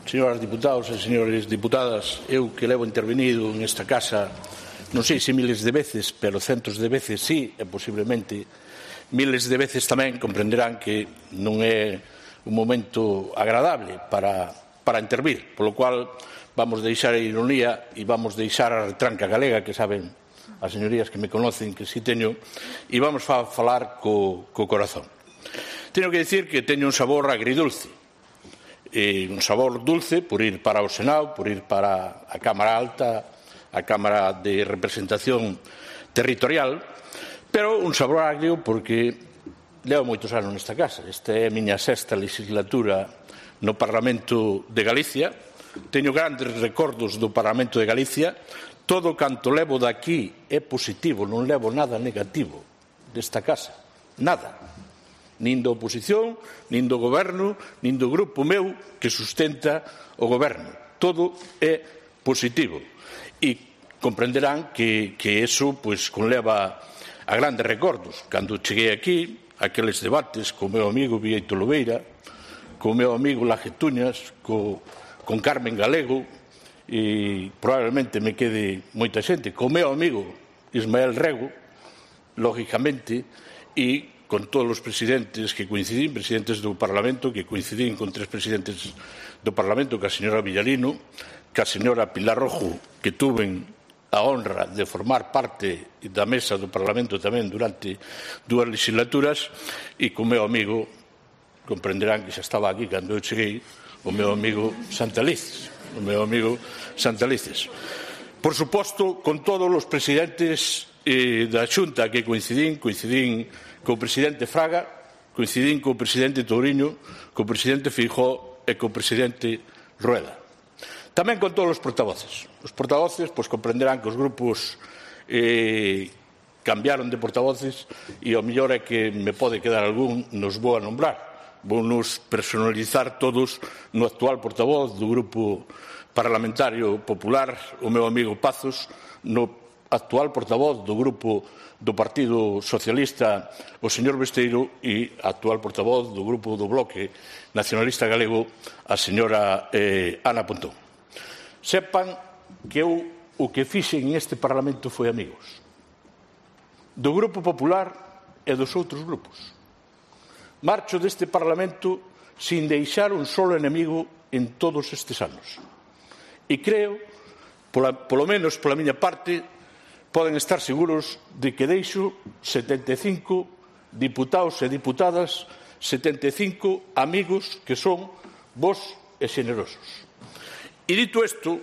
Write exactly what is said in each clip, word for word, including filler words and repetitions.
señoras diputados e señores diputadas, eu que levo intervenido nesta casa non sei se miles de veces, pero centos de veces sí, e posiblemente miles de veces tamén, comprenderán que non é un momento agradable para, para intervir, polo cual vamos deixar a ironía e vamos deixar a retranca galega, que saben as señorías que me conocen que si teño, e vamos a falar co, co corazón. Teño que dicir que teño un sabor agridulce, e un sabor dulce por ir para o Senado, por ir para a Cámara Alta, a Cámara de Representación Territorial, pero un sabor agrio porque levo moitos anos nesta casa. Esta é a miña sexta legislatura no Parlamento de Galicia. Teño grandes recordos do Parlamento de Galicia. Todo canto levo daqui é positivo, non levo nada negativo desta casa. Nada. Nin da oposición, nin do goberno, nin do grupo meu que sustenta o goberno. Todo é positivo. E comprenderán que, que eso pues, conleva a grandes recordos. Cando cheguei aquí, aqueles debates co meu amigo Vieito Lobeira, co meu amigo Lajetuñas, co, con Carmen Galego, e probablemente me quede moita xente, co meu amigo Ismael Rego, lógicamente, e con todos os presidentes que coincidín, presidentes do Parlamento, que coincidín con tres presidentes do Parlamento, que a señora Villarino, que a señora Pilar Rojo, que tuven a honra de formar parte da mesa do Parlamento tamén durante dúas legislaturas, e co meu amigo, comprenderán que xa estaba aquí cando eu cheguei, o meu amigo Santalices, o meu amigo Santalices. Por suposto, con todos os presidentes eh, da Xunta que coincidín, coincidín co presidente Fraga, coincidín co presidente Touriño, co presidente Feijóo e co presidente Rueda. Tamén con todos os portavoces. Os portavoces, pois comprenderán que os grupos eh, cambiaron de portavoces e o mellor é que me pode quedar algún, nos vou a nombrar. Vou nos personalizar todos no actual portavoz do Grupo Parlamentario Popular, o meu amigo Pazos, no actual portavoz do Grupo do Partido Socialista, o señor Besteiro, e actual portavoz do Grupo do Bloque Nacionalista Galego, a señora eh, Ana Pontón. Sepan que eu o que fixen neste Parlamento foi amigos do Grupo Popular e dos outros grupos. Marcho deste Parlamento sin deixar un solo enemigo en todos estes anos. E creo, pola, polo menos pola miña parte, poden estar seguros de que deixo setenta e cinco diputados e diputadas, setenta e cinco amigos que son vos e xenerosos. E dito isto,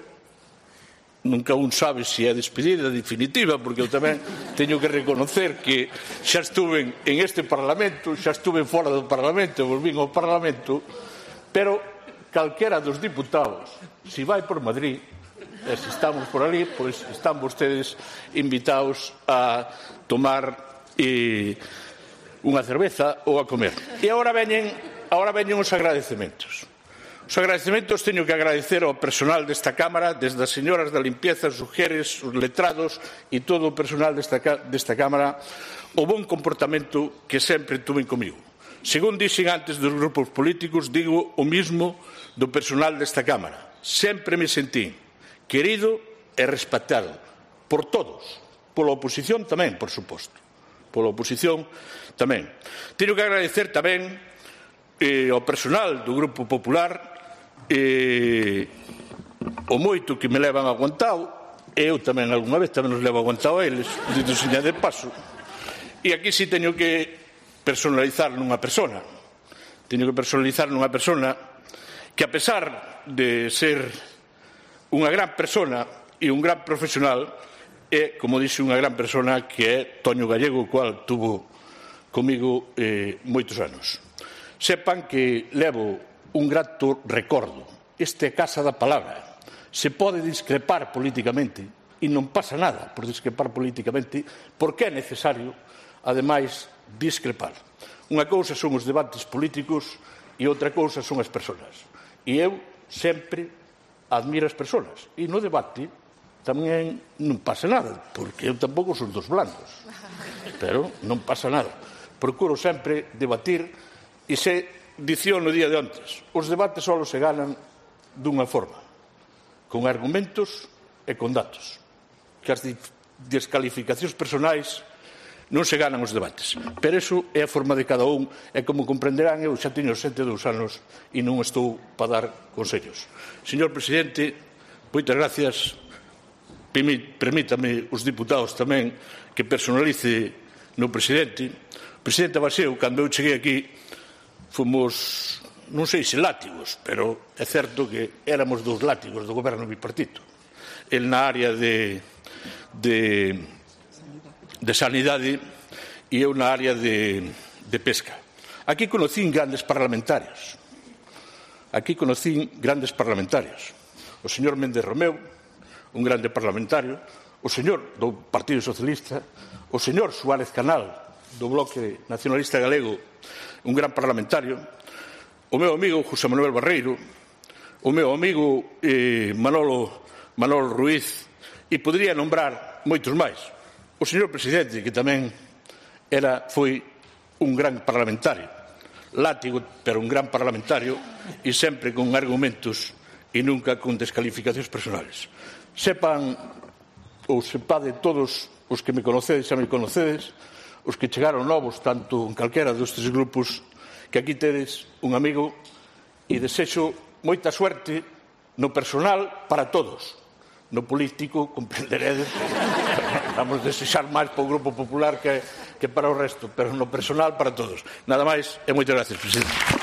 nunca un sabe se é despedida definitiva, porque eu tamén teño que reconocer que xa estuve en este Parlamento, xa estuve fora do Parlamento, volvín ao Parlamento, pero calquera dos diputados, se vai por Madrid, e se estamos por ali, pois están vostedes invitados a tomar eh, unha cerveza ou a comer. E agora veñen, agora veñen os agradecementos. Os agradecementos teño que agradecer ao personal desta Cámara, desde as señoras da limpieza, os ujeres, os letrados e todo o personal desta, desta Cámara, o bon comportamento que sempre tuven comigo. Según dixen antes dos grupos políticos, digo o mismo do personal desta Cámara. Sempre me sentí querido e respetado por todos, pola oposición tamén, por suposto. Pola oposición tamén. Teño que agradecer tamén eh, ao personal do Grupo Popular eh, o moito que me levan aguantado, e eu tamén algunha vez tamén os levo aguantado a eles, dito seña de paso. E aquí sí teño que personalizar nunha persona. Teño que personalizar nunha persona que, a pesar de ser unha gran persona e un gran profesional, é, como dixe, unha gran persona que é Toño Gallego, o cual tuvo comigo eh, moitos anos. Sepan que levo un grato recordo. Este é Casa da Palabra. Se pode discrepar políticamente e non pasa nada por discrepar políticamente, porque é necesario, ademais, discrepar. Unha cousa son os debates políticos e outra cousa son as persoas. E eu sempre admiro as persoas. E no debate tamén non pasa nada, porque eu tampouco son dos blandos. Pero non pasa nada. Procuro sempre debatir e se dicía no día de antes, os debates só se ganan dunha forma, con argumentos e con datos, que as descalificacións personais non se ganan os debates. Pero iso é a forma de cada un, e como comprenderán, eu xa teño setenta e dous anos e non estou para dar consellos. Señor Presidente, moitas gracias. Permítame os diputados tamén que personalice no Presidente. O Presidente Abaseu, cando eu cheguei aquí, fomos, non sei se látigos, pero é certo que éramos dos látigos do goberno bipartito. El na área de, de, de sanidade e eu na área de, de pesca. Aquí conocín grandes parlamentarios. Aquí conocín grandes parlamentarios. O señor Méndez Romeu, un grande parlamentario, o señor do Partido Socialista, o señor Suárez Canal, do Bloque Nacionalista Galego, un gran parlamentario, o meu amigo José Manuel Barreiro, o meu amigo eh, Manolo, Manolo Ruiz, e podría nombrar moitos máis. O señor Presidente, que tamén era, foi un gran parlamentario, látigo, pero un gran parlamentario, e sempre con argumentos e nunca con descalificacións personales. Sepan, ou sepade todos os que me conocedes, xa me conocedes, os que chegaron novos, tanto en calquera dos tres grupos, que aquí tedes un amigo e desexo moita suerte no personal para todos. No político, comprenderedes, vamos desexar máis para o Grupo Popular que, que para o resto, pero no personal para todos. Nada máis e moitas gracias, Presidente.